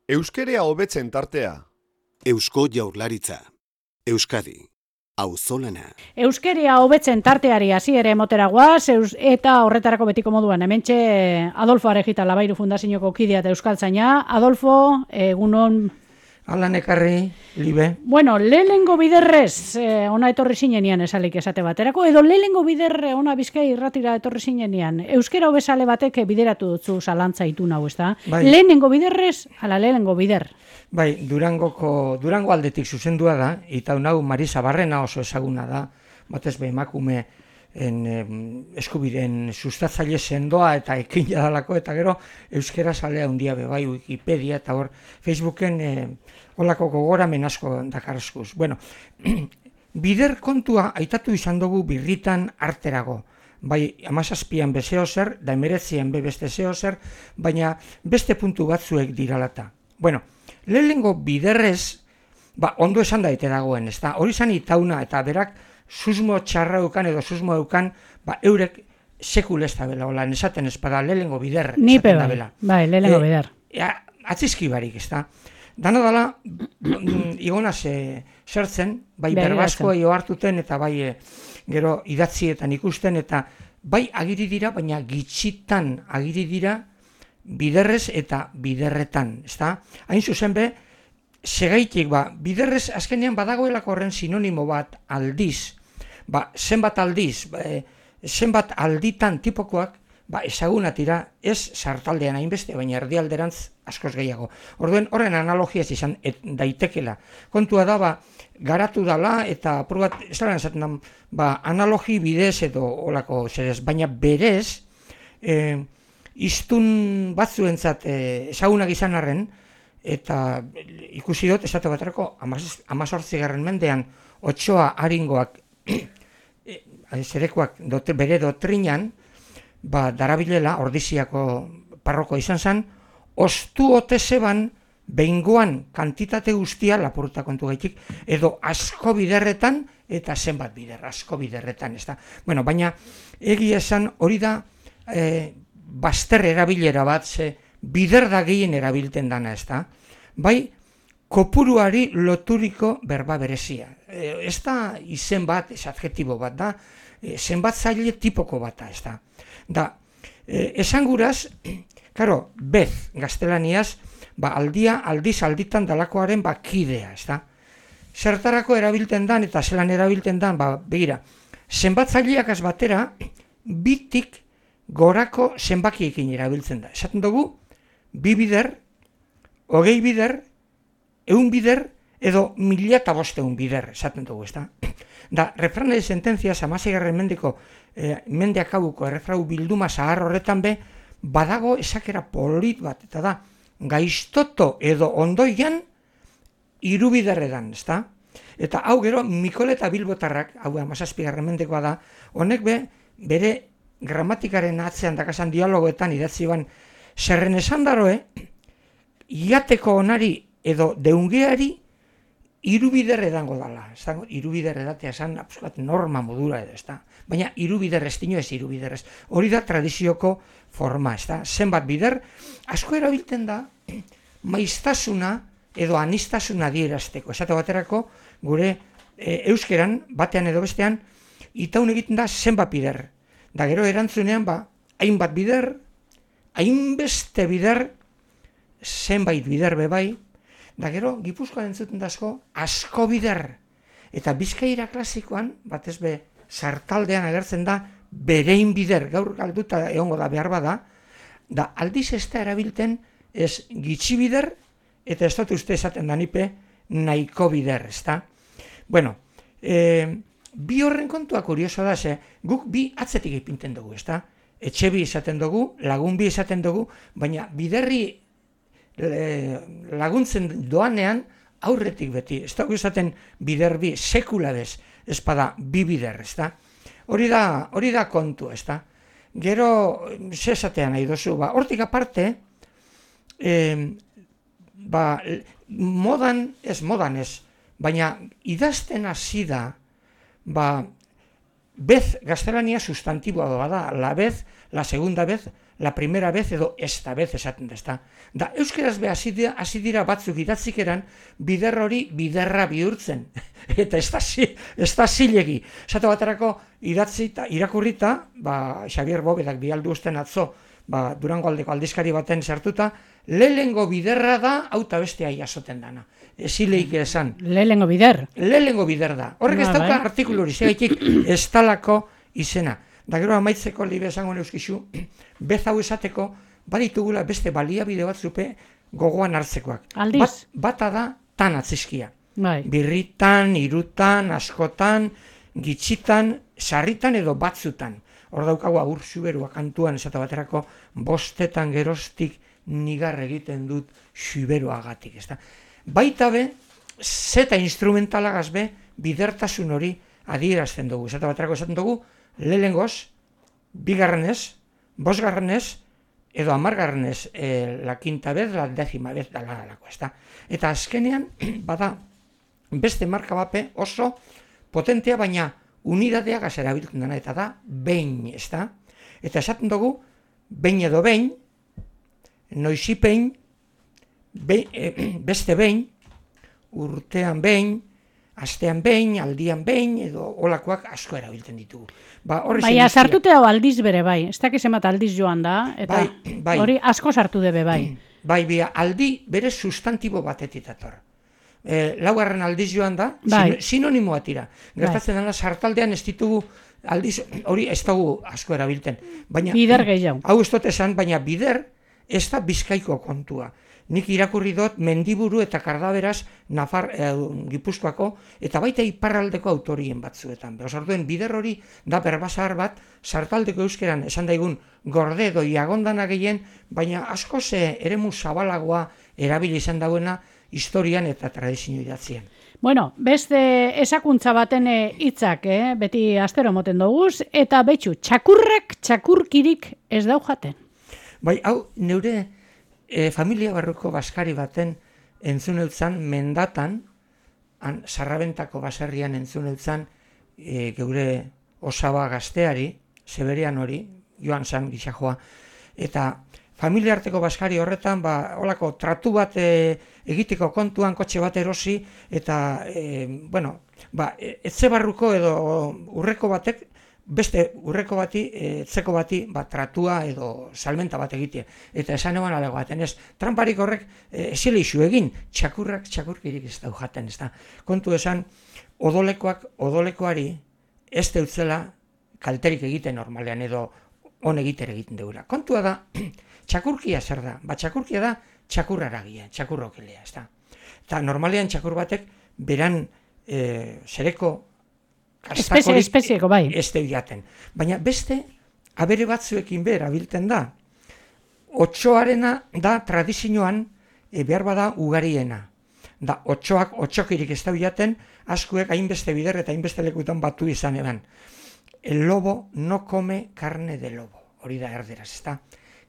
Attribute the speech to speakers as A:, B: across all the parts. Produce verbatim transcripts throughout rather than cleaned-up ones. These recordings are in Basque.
A: Euskerea hobetzen tartea.
B: Eusko Jaurlaritza. Euskadi. Auzolana.
C: Euskeria hobetzen tarteari hasiera emotera goaz, eta horretarako betiko moduan hementxe Adolfo Arejita Labairu Fundazioko kidea eta euskaltzaina. Adolfo, egunon.
D: Alan ekarri, libe.
C: Bueno, lehenengo biderrez eh, ona etorri zinenian esalik esate baterako, edo lehenengo biderre ona Bizkai irratira etorri zinenian. Euskera hobesale batek bideratu dutzu zalantza itun hau, ezta? Bai. Lehenengo biderrez, ala lehenengo bider.
D: Bai, Durangoko, Durango aldetik zuzendua da, eta hau Marisa Barrena oso ezaguna da, batez be emakume en, eh, eskubideen sustatzaile sendoa eta ekin jadalako, eta gero euskera salea handia be bai Wikipedia, eta hor Facebooken eh, olako gogoramen asko dakarrezkuz. Bueno, bider kontua aitatu izan dugu birritan arterago. Bai, amazazpian bezeo zer, da emeretzian be beste zeo zer, baina beste puntu batzuek diralata. Bueno, lehenengo biderrez, ba, ondo esan daite dagoen, ez da, hori zan itauna eta berak susmo txarra eukan edo susmo eukan, ba, eurek sekul ez da bela, hola, nesaten espada, lehenengo bider.
C: Nipe bai, bai, lehenengo e, bider.
D: E, atzizki barik, ez da. Dano dala, igonaz e, zertzen, bai berbaskoa jo hartuten eta bai e, gero idatzietan ikusten, eta bai agiri dira, baina gitxitan agiri dira biderrez eta biderretan, ezta? Hain zuzen be, segaitik, ba, biderrez azkenean badagoelako horren sinonimo bat aldiz, ba, zenbat aldiz, ba, e, zenbat alditan tipokoak, ba, ezagunatira, ez sartaldean hainbeste, baina erdialderantz askoz gehiago. Orduen, horren analogia ez izan et, daitekela. Kontua da, ba, garatu dala, eta apur bat, ez da esaten da, ba, analogi bidez edo olako zerez, baina berez, eh, iztun batzuentzat eh, ezagunak izan arren, eta ikusi dut, esate baterako, amazortzigarren mendean, otsoa haringoak, zerekoak dote, bere dotrinan, ba, darabilela, ordiziako parroko izan zen, ostu ote zeban, behingoan kantitate guztia, lapurta kontu gaitik, edo asko biderretan, eta zenbat bider, asko biderretan, ez da. Bueno, baina, egia esan, hori da, eh, baster erabilera bat, ze bider da gehien erabilten dana, ez da. Bai, kopuruari loturiko berba berezia. E, ez da izen bat, ez adjetibo bat da, e, zenbatzaile tipoko bata, ez da. Da, e, esanguraz, karo, bez, gaztelaniaz, ba, aldia, aldiz, alditan dalakoaren ba, kidea, ez da. Zertarako erabilten dan, eta zelan erabilten dan, ba, begira, zenbatzaileak az batera, bitik gorako zenbakiekin erabiltzen da. Esaten dugu, bi bider, hogei bider, eun bider, edo mila eta bosteun bider, esaten dugu, ez da. Da, refrana de sentencias, amasegarren mendeko, eh, mendeak hauko, errefrau bilduma zahar horretan be, badago esakera polit bat, eta da, gaiztoto edo ondoian, irubiderredan, ez da. Eta hau gero, Mikol eta Bilbotarrak, hau amazazpigarren mendekoa da, honek be, bere gramatikaren atzean dakasan dialogoetan idatzi ban, zerren esan daroe, iateko onari edo deungeari irubider edango dala. Irubider edatea esan absolut norma modura edo, ez da. Baina irubider ez dino ez irubider ez. Hori da tradizioko forma, ez da. Zenbat bider, asko erabilten da, maiztasuna edo anistasuna dierazteko. Esate baterako, gure e, euskeran, batean edo bestean, itaun egiten da zenbat bider. Da gero erantzunean, ba, hainbat bider, hainbeste bider, zenbait bider bebai, da gero Gipuzkoan entzuten dazko, asko bider. Eta Bizkaira klasikoan, batez be, sartaldean agertzen da, berein bider, gaur galduta egongo da behar bada, da aldiz ez da erabilten, ez gitxi bider, eta ez dut uste esaten da nipe, nahiko bider, ez da. Bueno, eh, bi horren kontua kurioso da, ze, guk bi atzetik ipinten dugu, ez da? Etxe bi esaten dugu, lagun bi esaten dugu, baina biderri e, laguntzen doanean aurretik beti. Ez dugu esaten bider bi, sekula bez, ez bada bi bider, ez da? Hori da, hori da kontu, ez da? Gero, ze esatean nahi dozu, ba, hortik aparte, e, ba, modan, ez modan ez, baina idazten hasi da, ba, bez gaztelania sustantiboa da, la vez, la segunda vez, la primera vez edo esta vez esaten da, ezta. Da, euskeraz be hasi dira, hasi dira batzuk idatzikeran bider hori biderra bihurtzen. Eta ez da, ez da zilegi. Esate baterako idatzita, irakurrita, ba, Xavier Bovedak bialdu usten atzo, ba, Durango aldeko aldizkari baten sartuta, lehengo biderra da, auta bestea jasoten dana. Zileik esan.
C: Lehengo bider.
D: Lehengo bider da. Horrek ez dauka artikulu hori, zegaitik ez talako izena. Da gero amaitzeko libe esango neuskizu, bez hau esateko, baditugula beste baliabide batzupe gogoan hartzekoak.
C: Aldiz?
D: Bat, bata da tan atzizkia.
C: Bai.
D: Birritan, irutan, askotan, gitxitan, sarritan edo batzutan. Hor daukagu agur xuberua kantuan esate baterako bostetan geroztik nigar egiten dut xuberuagatik. Ezta? Baita be, zeta instrumentalagaz be, bidertasun hori adierazten dugu. Esate baterako esaten dugu, lehengoz, bigarrenez, bosgarrenez, edo amargarrenez, e, la quinta vez, la décima vez, da lalako, ezta. Eta azkenean, bada, beste marka bape oso potentea, baina unidadea gazera biltzen dena, eta da, behin, ezta. Eta esaten dugu, behin edo behin, noizipein, behin, e, beste behin, urtean behin, astean behin, aldian behin, edo olakoak asko erabiltzen ditugu. Ba,
C: Baina sartute hau aldiz bere bai, ez dakiz emat aldiz joan da, eta
D: bai, bai.
C: Hori asko sartu debe bai.
D: Bai, bia, aldi bere sustantibo batetik dator. E, laugarren aldiz joan da,
C: bai.
D: sinonimoa tira. Gertatzen bai. Dena sartaldean ez ditugu aldiz, hori ez dugu asko erabiltzen. Baina,
C: bider gehiago.
D: Hau ez dut esan, baina bider ez da Bizkaiko kontua. Nik irakurri dut Mendiburu eta Kardaberaz Nafar, eh, Gipuzkoako eta baita iparraldeko autorien batzuetan. Beraz, orduen bider hori da berbasar bat sartaldeko euskeran esan daigun gorde edo iagondana gehien, baina asko ze eremu zabalagoa erabili izan dauena historian eta tradizio idatzien.
C: Bueno, beste esakuntza baten hitzak, eh, beti astero moten doguz, eta betxu, txakurrak txakurkirik ez dau jaten.
D: Bai, hau, neure E, familia barruko baskari baten entzun eutzan mendatan, han, Sarrabentako baserrian entzun eutzan e, geure osaba gazteari, Zeberian hori, joan zan gixajoa, eta familia arteko baskari horretan, ba, holako tratu bat e, egiteko kontuan, kotxe bat erosi, eta, e, bueno, ba, etxe barruko edo urreko batek, beste urreko bati, etzeko bati, ba, tratua edo salmenta bat egitea. Eta esan eban alego baten, ez, tramparik horrek esile isu egin, txakurrak txakurkirik ez dau jaten, ez da. Kontu esan, odolekoak odolekoari ez deutzela kalterik egiten normalean edo on egiter egiten deura. Kontua da, txakurkia zer da? Ba, txakurkia da txakurraragia, txakurrokelea, ez da. Eta normalean txakur batek beran e, zereko
C: Espezie, espezieko, bai.
D: Ez jaten. Baina beste, abere batzuekin behar abilten da. Otsoarena da tradizioan e, behar bada ugariena. Da, otsoak, otsokirik ez da jaten, askuek hainbeste bider eta hainbeste lekutan batu izan eban. El lobo no come carne de lobo. Hori da erderaz, ez da.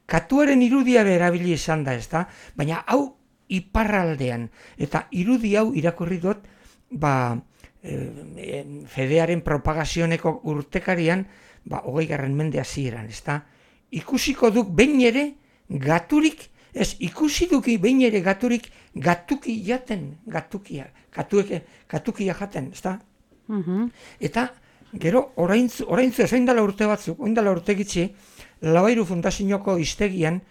D: Katuaren irudia berabili izan da, ez da. Baina hau iparraldean. Eta irudi hau irakurri dut, ba, fedearen propagazioneko urtekarian, ba, hogei garren mende hasieran, ezta? Ikusiko duk behin ere gaturik, ez, ikusi duki behin ere gaturik gatuki jaten, gatukia, gatueke, gatukia jaten, ezta?
C: Uh-huh.
D: Eta, gero, oraintzu, oraintzu, ez oindala urte batzuk, oindala urte gitzi, Labairu Fundazioko iztegian,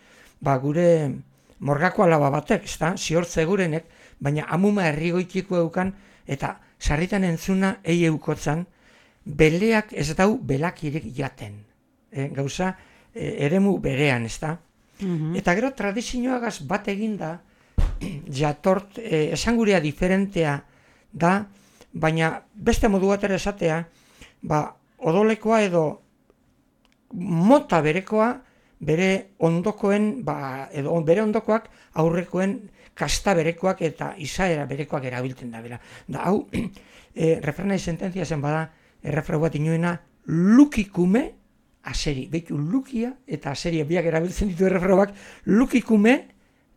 D: ba, gure morgako alaba batek, ezta? Ziortze gurenek, baina amuma herrigoitiko eukan, eta sarritan entzuna ei eukotzan, beleak ez dau belakirik jaten. E, gauza, e, eremu berean, ez da? Uh-huh. Eta gero tradizioagaz bat eginda, jatort, e, esangurea diferentea da, baina beste modu batera esatea, ba, odolekoa edo mota berekoa, bere ondokoen, ba, edo bere ondokoak aurrekoen kasta berekoak eta izaera berekoak erabiltzen da bera. Da, hau, e, refrenai sententzia zen bada, errefrau bat inoena, lukikume aseri. Beitu lukia eta aseria biak erabiltzen ditu errefrauak, lukikume,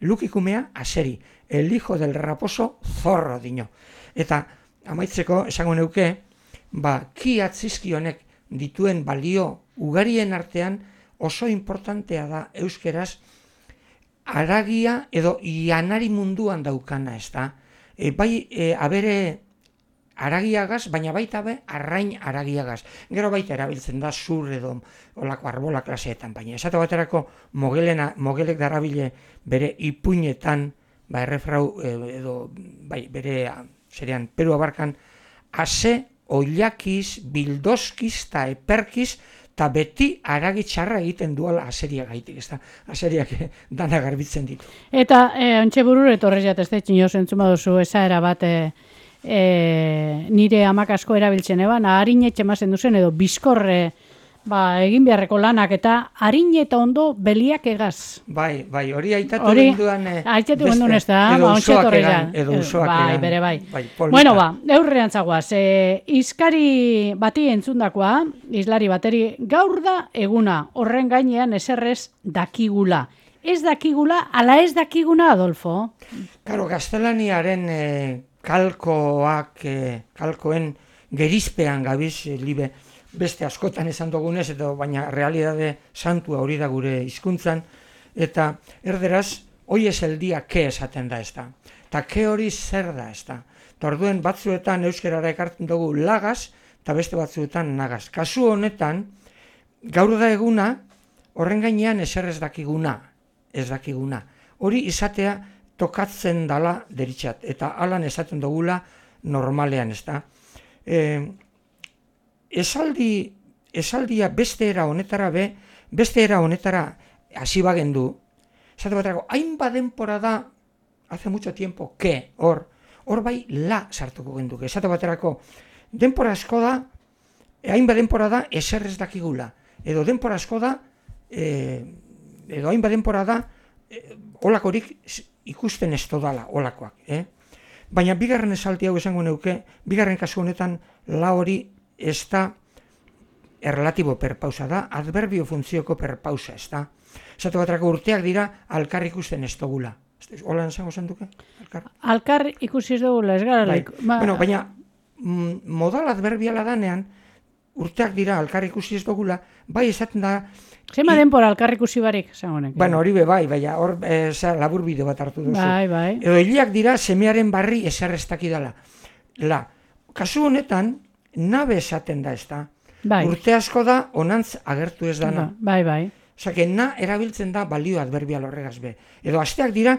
D: lukikumea aseri. El hijo del raposo zorro dino. Eta amaitzeko esango neuke, ba, ki atzizki honek dituen balio ugarien artean, oso importantea da euskeraz haragia edo janari munduan daukana, ez da. E, bai, e, abere haragiagaz, baina baita be, arrain haragiagaz. Gero baita erabiltzen da zur edo olako arbola klaseetan, baina esate baterako mogelena, mogelek darabile bere ipuinetan, ba, errefrau edo, bai, bere, serian, Peru abarkan, ase, oilakiz, bildoskiz eta eperkiz, eta beti haragitxarra egiten duela aseria gaitik, ez da, aseriak dana garbitzen ditu.
C: Eta, e, ontxe burur, etorrez jatezte, txino zentzuma duzu, esaera bat, e, e, nire amak asko erabiltzen eban, harin etxemazen duzen, edo bizkorre, ba, egin beharreko lanak, eta harin eta ondo beliak egaz.
D: Bai, bai, hori aitatu genduan...
C: Hori, aitatu genduan ez da, ba, ontxe etorrez jan.
D: Edo usoak egan.
C: Bai, bere, bai.
D: bai
C: bueno, ba, eurrean zagoaz, e, izkari bati entzundakoa, izlari bateri, gaur da eguna, horren gainean eserrez dakigula. Ez dakigula, ala ez dakiguna, Adolfo?
D: Karo, gaztelaniaren e, kalkoak, e, kalkoen gerizpean gabiz, e, libe, beste askotan esan dugunez, edo baina realidade santua hori da gure hizkuntzan, eta erderaz, hoi ez el dia ke esaten da ez da. Eta ke hori zer da ez da. Eta orduen batzuetan euskerara ekartzen dugu lagaz, eta beste batzuetan nagaz. Kasu honetan, gaur da eguna, horren gainean ezer ez dakiguna, ez dakiguna. Hori izatea tokatzen dala deritxat, eta alan esaten dugula normalean ez da. E, Esaldi, esaldia beste era honetara be, beste era honetara hasi bagendu, esate baterako, hainbat denpora da, hace mucho tiempo, que, hor, hor bai la sartuko genduke. Esate baterako, denpora asko da, hainbat denpora da, eser ez dakigula. Edo denpora asko da, e, edo hainbat denpora da, e, olakorik ikusten ez dodala, olakoak. Eh? Baina bigarren esaldi hau esango neuke, bigarren kasu honetan, la hori, ez da erlatibo perpausa da, adverbio funtzioko perpausa, ez da. Esate baterako urteak dira, alkar ikusten ez dugula. Hola esango zenduke? Alkar,
C: alkar ikusi ez dugula, ez gara.
D: Bai. Ba... Bueno, baina mm, modal adverbiala danean, urteak dira, alkar ikusi ez dugula, bai esaten da...
C: Zema I... denpora alkar ikusi barik, zangonek.
D: Bueno, hori be bai, baina hor e, labur bideo bat hartu duzu.
C: Bai, bai.
D: Edo hiliak dira, semearen barri eser ez dakidala. La, kasu honetan, nabe esaten da ez da.
C: Bai.
D: Urte asko da, onantz agertu ez dana.
C: Bai, bai.
D: Osake, na erabiltzen da balio adverbial horregaz be. Edo asteak dira,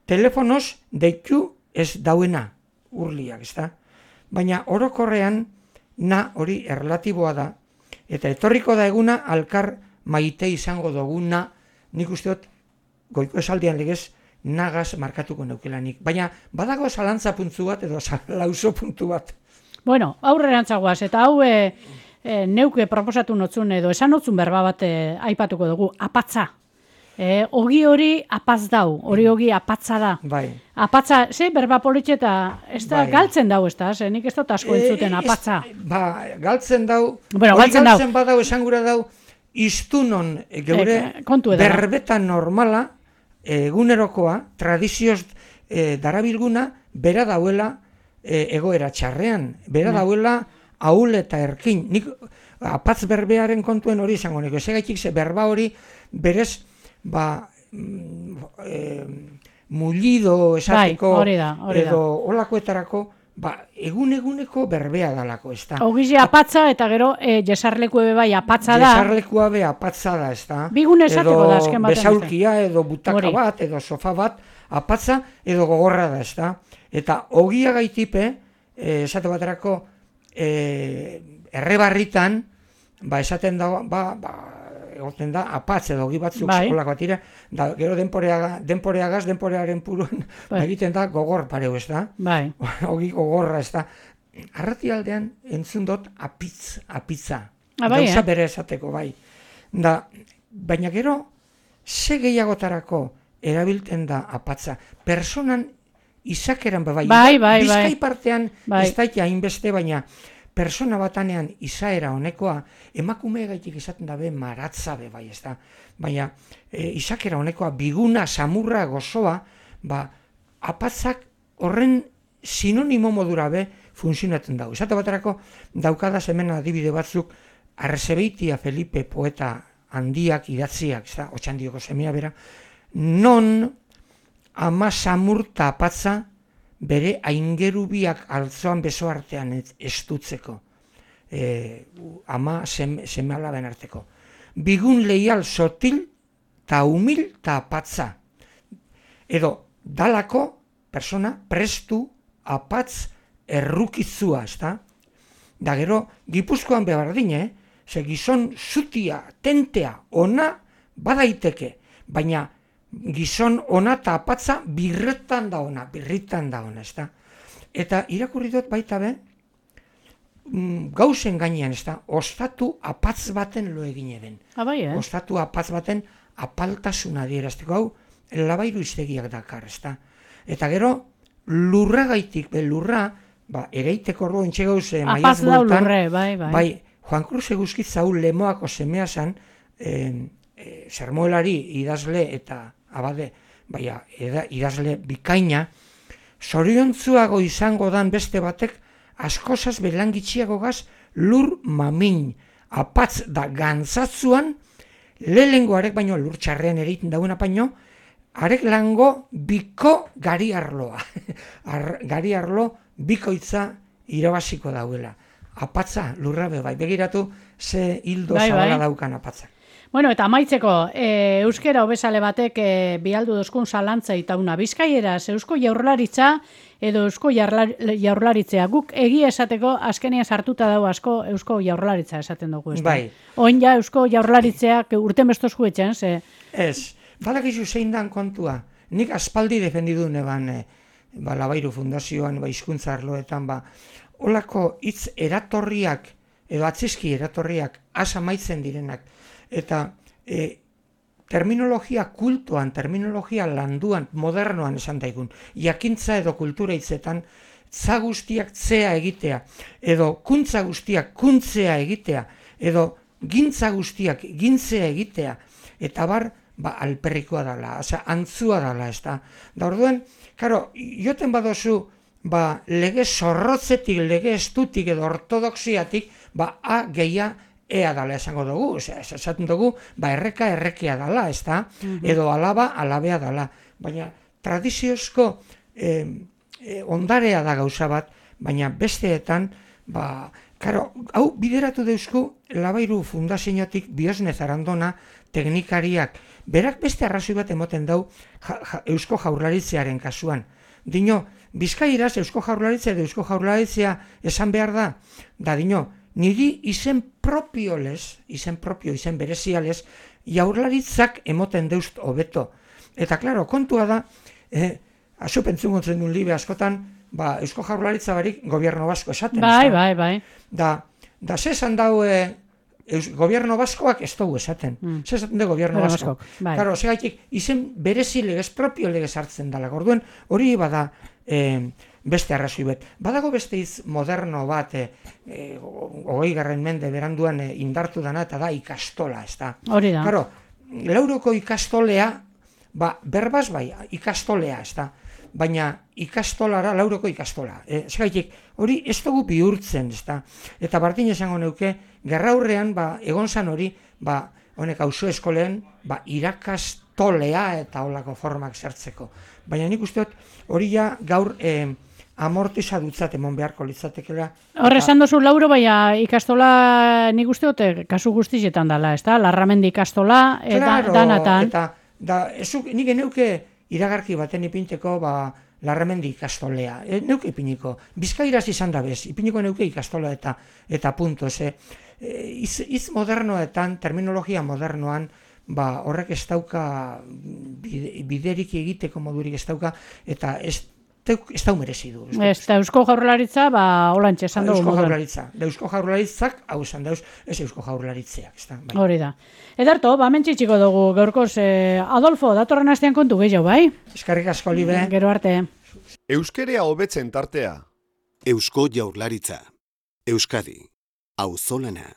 D: telefonoz deitu ez dauena, urliak, ez da. Baina orokorrean, na hori erlatiboa da, eta etorriko da eguna, alkar maite izango duguna, nik usteot, goiko esaldian legez, nagaz markatuko neukelanik. Baina, badago zalantza puntu bat, edo lauso puntu bat.
C: Bueno, aurrerantzagoaz, eta hau e, e, neuke proposatu notzun edo esan notzun berba bat e, aipatuko dugu, apatza. E, ogi hori apaz dau, hori ogi apatza da.
D: Bai.
C: Apatza, ze berba politxe eta ez da bai. Galtzen dau, ez da, ze nik ez dut asko entzuten apatza.
D: E, ez, ba, galtzen dau,
C: bueno,
D: hori
C: galtzen,
D: galtzen badau, esan gura dau, iztunon geure
C: e,
D: berbeta normala, egunerokoa, tradizioz e, darabilguna, bera dauela, E, egoera txarrean, bera mm. dauela ahul eta erkin. Nik apatz berbearen kontuen hori izango nik. Ezegaitik ze berba hori berez ba, e, mullido esateko
C: bai, hori da, hori
D: edo olakoetarako ba, egun-eguneko berbea dalako, ez da.
C: Ogizi apatza eta gero e, jesarleku ebe bai apatza da.
D: Jesarlekua be apatza da, ez da.
C: Bigun esateko da, azken
D: baten. Edo besaulkia, edo butaka hori. Bat, edo sofa bat, apatza edo gogorra da, ez da. Eta ogia gaitipe, esate baterako, e, errebarritan, ba, esaten da, ba, ba, egoten da, apatz edo ogi batzuk bai. Eskolak bat ira, da, gero denporeagaz, denporeagaz, denporearen puruan, bai. Egiten da, gogor pareu, ez da?
C: Bai.
D: Ogi gogorra, ez da? Arrati aldean, entzun dut, apitz, apitza.
C: Ah, bai,
D: gauza
C: eh?
D: bere esateko, bai. Da, baina gero, ze gehiagotarako erabilten da apatza. Personan, izakeran bai,
C: bai, bai,
D: bizkai partean
C: bai.
D: Ez daite hainbeste, baina persona batanean izaera honekoa, emakume gaitik izaten dabe maratza be bai, ez da. Baina e, izakera honekoa, biguna, samurra, gozoa, ba, apatzak horren sinonimo modura be funtzionatzen dago. Izate baterako daukadaz hemen adibide batzuk, Arzebeitia Felipe poeta handiak idatziak, ez da, Otxandioko semea bera, non ama samurta apatza bere aingerubiak altzoan beso artean estutzeko, e, ama seme, seme alaben arteko. Bigun leial sotil ta humil ta apatza. Edo, dalako persona prestu apatz errukizua, ez da? Da gero, Gipuzkoan bebardine, ze gizon zutia, tentea, ona badaiteke, baina gizon ona eta apatza birretan da ona, birritan da ona, ez da? Eta irakurri dut baita be, gauzen gainean, ez da, ostatu apatz baten lo egine den.
C: Abai, eh?
D: Ostatu apatz baten apaltasuna adierazteko, hau, labairu iztegiak dakar, ez da? Eta gero, lurra gaitik, be lurra, ba, ereiteko orduan txegauz eh, maiaz bultan,
C: lurre, bai, bai.
D: bai, Juan Cruz eguzkit zau lemoako semea zan, eh, eh, sermoelari idazle eta abade, baina eda, idazle bikaina, zoriontzuago izango dan beste batek, askozaz belangitxiago gaz, lur mamin, apatz da gantzatzuan, lehengoarek baino lur txarrean ereiten dauna baino, arek lango biko gari arloa. Ar, gari arlo bikoitza irabaziko dauela. Apatza, lurrabe, bai, begiratu ze hildo
C: bai,
D: zabala
C: bai.
D: daukan apatza.
C: Bueno, eta amaitzeko, e, euskera hobesale batek e, bialdu dozkun zalantza itauna bizkaieraz, eusko jaurlaritza edo eusko jaurlaritzea. Guk egia esateko azkenean sartuta dago asko eusko jaurlaritza esaten dugu. Ez da?
D: Bai.
C: Oin ja eusko jaurlaritzeak urten bestozku etxen, ze...
D: Ez, badakizu zein dan kontua. Nik aspaldi defendidu neban, e, ba, Labairu Fundazioan, ba, hizkuntza arloetan, ba, olako hitz eratorriak, edo atzizki eratorriak, asa maitzen direnak, eta e, terminologia kultuan, terminologia landuan, modernoan esan daigun, jakintza edo kultura hitzetan, za guztiak zea egitea, edo kuntza guztiak kuntzea egitea, edo gintza guztiak gintzea egitea, eta bar, ba, alperrikoa dala, osea, antzua dala, ez da. Da orduan, karo, joten badozu, ba, lege zorrotzetik, lege estutik edo ortodoxiatik, ba, a gehia ea dala esango dugu, esaten dugu, ba, erreka errekea dala, ez da, edo alaba alabea dala. Baina tradiziozko eh, eh, ondarea da gauza bat, baina besteetan, ba, karo, hau bideratu deuzku Labairu Fundaziotik Biosne Zarandona teknikariak, berak beste arrazoi bat emoten dau ja, ja, Eusko Jaurlaritzearen kasuan. Dino, Bizkairaz Eusko Jaurlaritza edo Eusko Jaurlaritzea esan behar da, da dino, niri izen propio lez, izen propio, izen berezialez, jaurlaritzak emoten deust hobeto. Eta, klaro, kontua da, eh, azu pentzungotzen duen libe askotan, ba, Eusko Jaurlaritza barik gobierno basko esaten.
C: Bai, bai, bai.
D: Da, da zesan dau eh, Eus, gobierno baskoak ez dugu esaten. Mm. Zesaten de gobierno
C: Bueno,
D: basko.
C: baskok, bai.
D: Karo, segaitik, izen berezi legez, propio legez hartzen dela. Gorduen, hori bada eh, beste arrazoi bet. Badago beste iz moderno bat, eh, eh, hogei garren mende beranduan eh, indartu dana, eta da ikastola, ez da.
C: Hori da.
D: Karo, lauroko ikastolea, ba, berbaz bai, ikastolea, ez da. Baina ikastolara, lauroko ikastola. E, Zegaitik, hori ez dugu bihurtzen, ez da. Eta bardin esango neuke, gerraurrean, ba, egon zan hori, ba, honek auzo eskoleen, ba, irakastolea eta holako formak zertzeko. Baina nik uste dut, hori ja gaur eh, amortiza dutzat emon beharko litzatekela.
C: Horre esan dozu lauro, baina ikastola nik uste dut kasu guztietan dala, ez da? Larramendi ikastola, eta
D: Claro,
C: danatan.
D: Eta, da, ezuk, nik eneuke iragarki baten ipinteko, ba, Larramendi ikastolea. E, neuke ipiniko. Bizkairaz izan da bez, ipiniko neuke ikastola eta eta punto. Ze, e, iz, iz modernoetan, terminologia modernoan, ba, horrek ez dauka bide, biderik egiteko modurik ez dauka, eta ez, teuk, ez dau merezi du.
C: Ez da Eusko Jaurlaritza, ba, holantxe esan dugu.
D: Eusko Jaurlaritza. Da Eusko Jaurlaritzak, hau esan dauz, ez Eusko Jaurlaritzeak. Ez da, bai.
C: Hori da. Edarto, ba, mentxitxiko dugu gaurkoz, eh, Adolfo, datorren astean kontu gehiago, bai?
D: Eskerrik asko, libe.
C: Gero arte.
A: Euskerea hobetzen tartea.
B: Eusko Jaurlaritza. Euskadi. Auzolana.